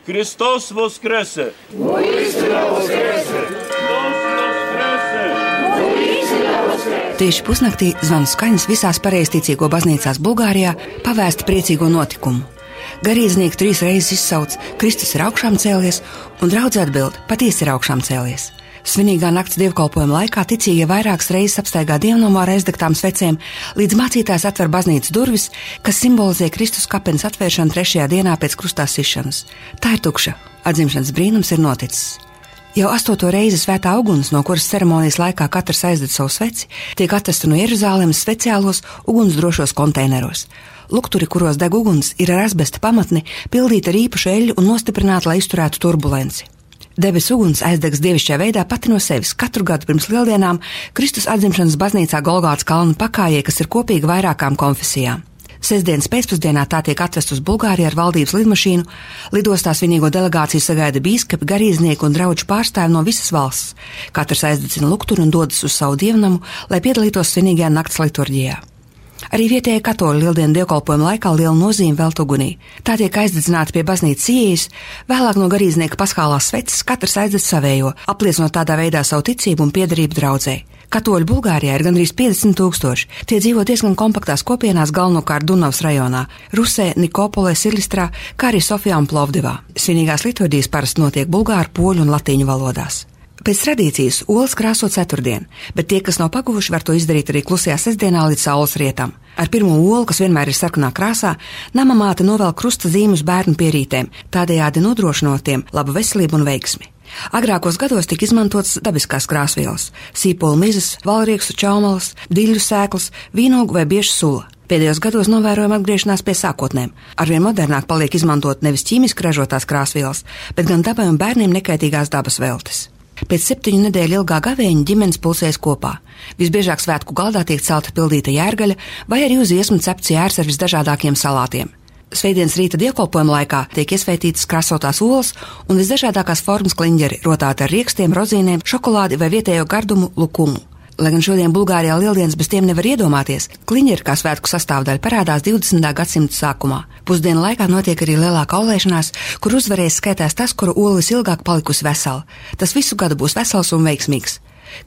Христос воскресе! Tieši pusnaktī zvanu skaņas visās pareizticīgo baznīcās Bulgārijā pavēsta priecīgo notikumu. Garīdznieki 3 reizes izsauc: Kristus ir augšām cēlies, un draudze atbild: patiesi ir augšām cēlies. Svinīgā nakts dievkalpojuma laikā ticīgie vairākas reizes apstaigā dievnamā ar aizdegtām svecēm, līdz mācītājs atver baznīcas durvis, kas simbolizē Kristus kapenes atvēršanu 3. dienā pēc krustā sišanas. Tā ir tukša. Atzimšanas brīnums ir noticis. Jau 8. reizi svētā uguns, no kuras ceremonijas laikā katrs aizdedz savu sveci, tiek atrasta no Jeruzālēmas speciālos ugunsdrošos konteineros. Lukturi, kuros deg uguns, ir ar asbesta pamatni, pildīta ar īpašu eļļu un nostiprināta, lai izturētu turbulenci. Debesu uguns aizdegs dievišķā veidā pati no sevis. Katru gadu pirms lieldienām Kristus atzimšanas baznīcā Golgātas kalna pakājē, kas ir kopīga vairākām konfesijām. Sestdienas pēcpusdienā tā tiek atvest uz Bulgāriju ar valdības lidmašīnu. Lidostā svinīgo delegāciju sagaida bīskapi, garīdznieki un draugu pārstāvi no visas valsts. Katrs aizdedzina lukturi un dodas uz savu dievnamu, lai piedalītos svinīgajā nakts liturģijā. Arī vietējie katoļi lieldienu dievkalpojuma laikā lielu nozīmi velk ugunī. Tā tiek aizdedzināta pie baznīcas ieejas, vēlāk no garīdznieka paskālās sveces katrs aizdedz savējo, apliecinot tādā veidā savu ticību un piederību draudzei. Katoļu Bulgārijā ir gandrīz 50 000. Tie dzīvo diezgan kompaktās kopienās, galvenokārt Dunavas rajonā, Rusē, Nikopolē, Silistrā, kā arī Sofijā un Plovdivā. Svinīgās liturģijas parasti notiek bulgāru, poļu un latīņu valodās. Pēc tradīcijas olas krāso ceturtdien, bet tie, kas nav paguvuši, var to izdarīt arī klusajā sestdienā līdz saules rietam. Ar pirmo olu, kas vienmēr ir sarkanā krāsā, nama māte novelk krusta zīmes bērnu pierītēm, tādējādi nodrošinot tiem labu veselību un veiksmi. Agrākos gados tika izmantotas dabiskās krāsvielas – sīpolu mizas, valriekstu čaumalas, diļu sēklas, vīnogu vai biežu sula. Pēdējos gados novērojama atgriešanās pie sākotnēm. Arvien modernāk paliek izmantot nevis ķīmiski ražotās krāsvielas, bet gan dabai un bērniem nekaitīgās dabas veltes. Pēc 7 nedēļu ilgā gavēņa ģimenes pulsēs kopā. Visbiežāk svētku galdā tiek celta pildīta jērgaļa vai arī uz iesmu cepts jērs ar visdažādākiem salātiem. Svētdienas rīta dievkalpojuma laikā tiek iesvētītas krāsotās olas un visdažādākās formas kliņģeri, rotāti ar riekstiem, rozīnēm, šokolādi vai vietējo gardumu lukumu. Lai gan šodien Bulgārijā lieldienas bez tiem nevar iedomāties, kliņģeri kā svētku sastāvdaļa parādās 20. gadsimta sākumā. Pusdienu laikā notiek arī lielāka aulēšanās, kur uzvarēs skaitās tas, kuru ola visilgāk palikusi vesela. Tas visu gadu būs vesels un veiksmīgs.